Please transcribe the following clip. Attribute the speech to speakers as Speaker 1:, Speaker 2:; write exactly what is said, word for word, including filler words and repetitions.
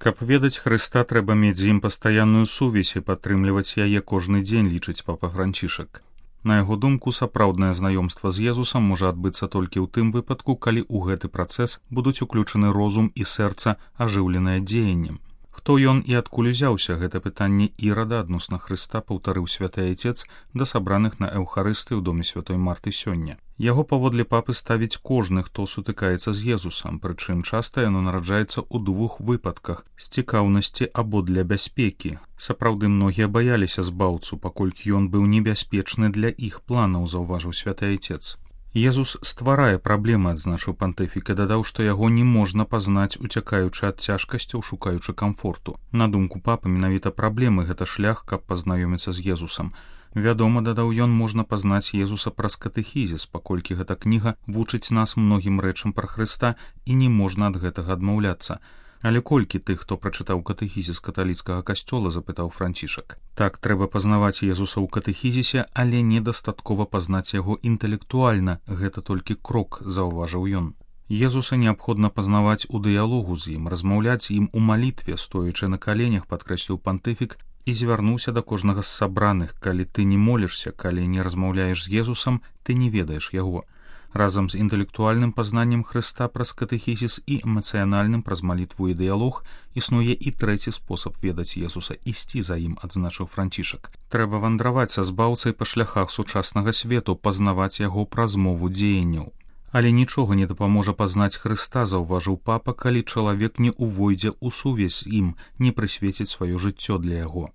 Speaker 1: Каб ведаць Хрыста, трэба мець з ім пастаянную сувязь і падтрымліваць яе кожны дзень, лічыць папа Францішак. На яго думку, сапраўднае знаёмства з Езусам можа адбыцца толькі ў тым выпадку, калі ў гэты працэс будуць уключаны розум і сэрца, ажыўленае дзеяннем. Хто ён і адкуль узяўся, гэта пытанне Ірада адносна Хрыста паўтарыў святы айцец да сабраных на эўхарысты ў доме святой Марты сёння. Яго паводле папы ставіць кожны, хто сутыкаецца з Езусам, прычым часта яно нараджаецца ў двух выпадках з цікаўнасці або для бяспекі. Сапраўды многія баяліся збаўцу, паколькі ён быў небяспечны для іх планаў, заўважыў святы айцец. Езус стварае праблемы, адзначыў пантыфік, і дадаў, што яго не можна пазнаць, уцякаючы ад цяжкасцяў, шукаючы камфорту. На думку папы, менавіта праблемы гэта шлях, каб пазнаёміцца з Езусам. Вядома, дадаў ён, можна пазнаць Езуса праз катэхізіс, паколькі гэта кніга вучыць нас многім рэчам пра Хрыста і не можна ад гэтага адмаўляцца. Але колькі тых, хто прачытаў катэхізіс каталіцкага касцёла, запытаў Францішак. Так, трэба пазнаваць Езуса ў катэхізісе, але недастаткова пазнаць яго інтэлектуальна, гэта толькі крок, заўважыў ён. Езуса неабходна пазнаваць у дыялогу з ім, размаўляць з ім у малітве, стоячы на каленях, падкрэсліў пантыфік, і звярнуўся да кожнага з сабраных. Калі ты не молішся, калі не размаўляеш з Езусам, ты не ведаеш яго. Разам з інтэлектуальным пазнаннем Хрыста праз катэхізіс і эмацыянальным праз малітву і дыялог існуе і трэці спосаб ведаць Езуса, ісці за ім, адзначыў Францішак. Трэба вандраваць са збаўцай па шляхах сучаснага свету, пазнаваць яго праз мову дзеянняў. Але нічога не дапаможа пазнаць Хрыста, заўважыў папа, калі чалавек не ўвойдзе ў сувязь з ім, не прысвеціць сваё жыццё для яго.